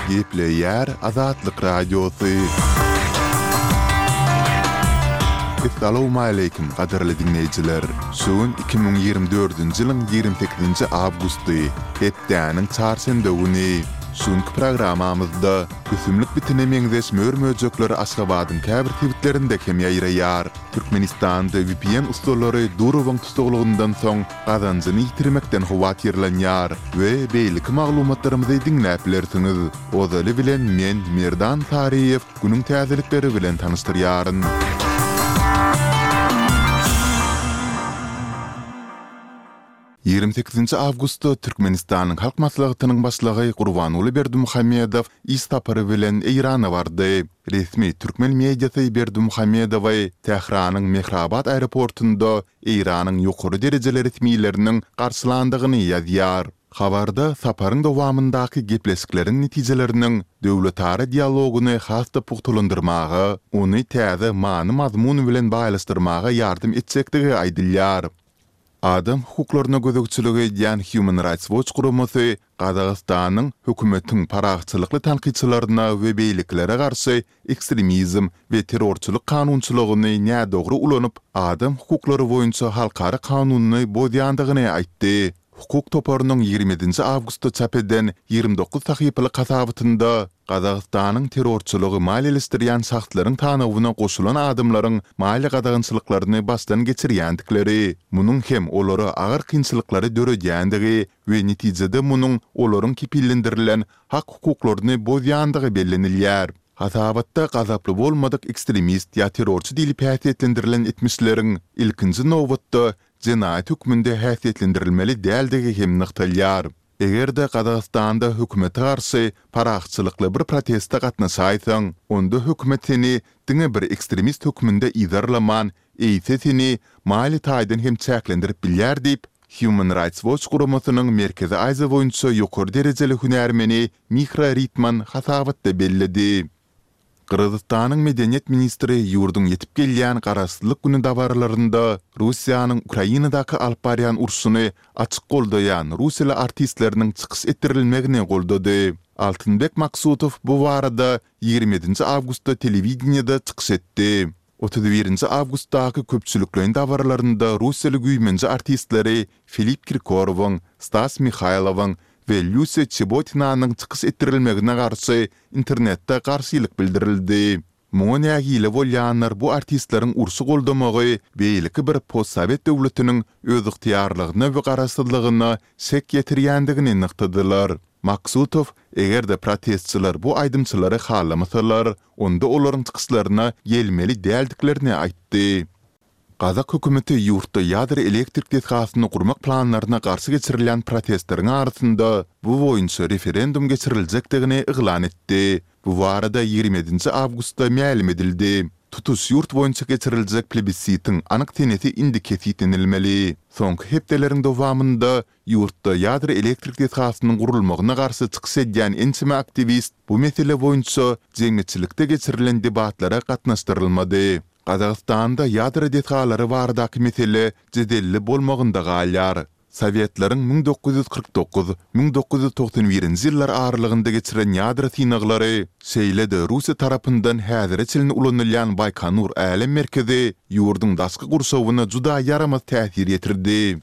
Gepleýär Azatlyk Radiosy. Essalawmaleýkim, gadyrly diňleýjiler! Şu gün 2024-nji ýylyň 28-nji awgusty, hepdäniň çarşenbe güni. Şu günki programmamyzda ösümlik bitine meňzeş mör-möjekler Aşgabadyň käbir sebitlerinde hem ýaýraýar. Türkmenistanda vpn ussalary Durowyň tussaglygyndan soň gazanjyny ýitirmekden howatyrlanýar we beýleki maglumatlarymyzy diňläp bilersiňiz. Ozaly bilen men Merdan Saryýew günüň täzelikleri bilen tanyşdyrýaryn. 28 awgustda Türkmenistanyň Halk Maslahatynyň Başlygy Gurbanguly Berdimuhamedow iş sapary bilen Eýrana bardy. Resmi türkmen mediasy Berdimuhamedowy Tähranyň Mehrabad aeroportunda Eýranyň ýokary derejeli resmileriniň garşylandygyny ýazýar. Habarda saparyň dowamyndaky gepleşikleriň netijeleriniň döwletara dialogyny has-da pugtalandyrmaga, ony täze many-mazmun bilen baýlaşdyrmaga ýardam etjekdigi aýdylýar. Adam hukuklaryna gözegçilik edýän Human Rights Watch guramasy Gazagystanyň hökümetiň parahatçylykly tankytçylaryna we beýlekilere garşy ekstremizm we terrorçylyk kanunçylygyny nädogry ulanyp, adam hukuklary boýunça halkara kanunyny bozýandygyny aýtdy. Hukuk toparynyň 27-nji awgustda çap eden 29 sahypalyk hasabatynda Gazagystanyň terrorçylygy maliýeleşdirýän şahslaryň sanawyna goşulan adamlaryň maliýe gadagançylyklaryny başdan geçirýändikleri, munuň hem olara agyr kynçylyklary döredýändigi we netijede munuň olaryň kepillendirilen hak-hukuklaryny bozýandygy bellenilýär. Hasabatda gazaply bolmadyk ekstremist ýa terrorçy diýlip häsiýetlendirilen etmişleriň, ilkinji nobatda, jenaýat hökmünde häsiýetlendirilmeli däldigi hem nygtalýar. Eger-de Gazagystanda hökümete garşy parahatçylykly bir proteste gatnaşaýsaň, onda hökümet seni diňe bir ekstremist hökmünde yzarlaman, eýse seni maliýe taýdan hem çäklendirip bilýär diýip, Human Rights Watch guramasynyň Merkezi Aziýa boýunça ýokary derejeli hünärmeni Mihra Ritman hasabatda belledi. Gyrgyzystanyň medeniýet ministri ýurduň ýetip gelýän Garaşsyzlyk güni dabaralarynda Russiýanyň Ukrainadaky alyp barýan urşuny açyk goldaýan russiýaly artistleriniň çykyş etdirilmegini goldady. Altynbek Maksutow bu barada 27-nji awgustda telewideniýede çykyş etdi. 31-nji awgustdaky köpçülikleýin dabaralarynda russiýaly güýmenje artistleri Filipp Kirkorowyň, Stas Mihaýlowyň we Lýusiýa Çebotinanyň çykyş etdirilmegine garşy internetde garşylyk bildirildi. Muňa nägile bolýanlar bu artistleriň urşy goldamagy beýleki bir postsowet döwletiniň özygtyýarlygyna we garaşsyzlygyna şek ýetirýändigini nygtadylar. Maksutow, eger-de protestçiler bu aýdymçylary halamasalar, onda olaryň çykyşlaryna gelmeli däldiklerini aýtdy. Gazak hökümeti ýurtda ýadro elektrik desgasyny gurmak planlaryna garşy geçirilýän protestleriň arasynda bu boýunça referendum geçiriljekdigini yglan etdi. Bu barada 27-nji awgustda mälim edildi. Tutuş ýurt boýunça geçiriljek plebissitiň anyk senesi indi kesgitlenilmeli. Soňky hepdeleriň dowamynda Ýurtda ýadro elektrik desgasynyň gurulmagyna garşy çykyş edýän ençeme aktiwist bu mesele boýunça jemgyýetçilikde geçirilen debatlara gatnaşdyrylmady. Gazagystanda ýadro desgalary baradaky mesele jedelli bolmagynda galýar. Sowetleriň 1949, 1991-nji ýyllar aralygynda geçiren ýadro synaglary, şeýle-de Russiýa tarapyndan häzire çenli ulanylýan Baýkonur älem merkezi ýurduň daşky gurşawyna juda ýaramaz täsir ýetirdi.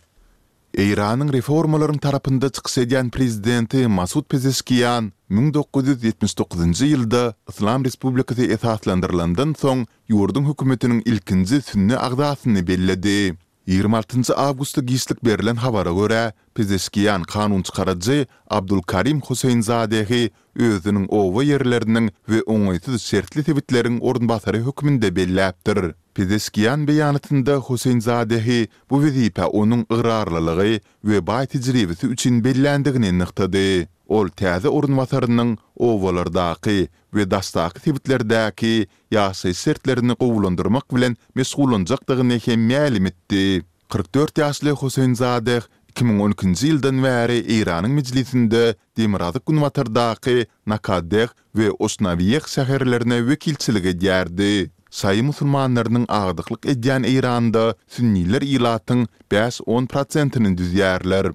Eýranyň reformalaryň tarapynda çykyş edýän prezidenti Masud Pezeşkian 1979-njy ýylda Yslam Respublikasy esaslandyrylandan soň ýurduň hökümetiniň ilkinji sünni agzasyny belledi. 26-njy awgustda giçlik berlen habara görä, Pezeşkian kanunçykaryjy Abdulkarim Hoseýnzadehi özüniň oba ýerleriniň we oňaýsyz şertli sebitleriň orunbasary hökmünde belläpdir. Pezeşkian beýanatynda Hoseýnzadehi bu wezipä onuň ygrarlylygy we baý tejribesi üçin belländigini nygtady. Ol täze orunbasarynyň obalardaky we daşdaky sebitlerdäki ýaşaýyş şertlerini gowulandyrmak bilen meşgullanjakdygyny hem mälim etdi. 44 ýaşly Hoseýnzadeh 2012-nji ýyldan bäri Eýranyň mejlisinde demirgazyk-günbatardaky Nakadeh we Oşnawiýeh şäherlerine wekilçilik edýärdi. Şaýy musulmanlarynyň agdyklyk edýän Eýranda sünniler ilatyň bäş-on prosentini düzýärler.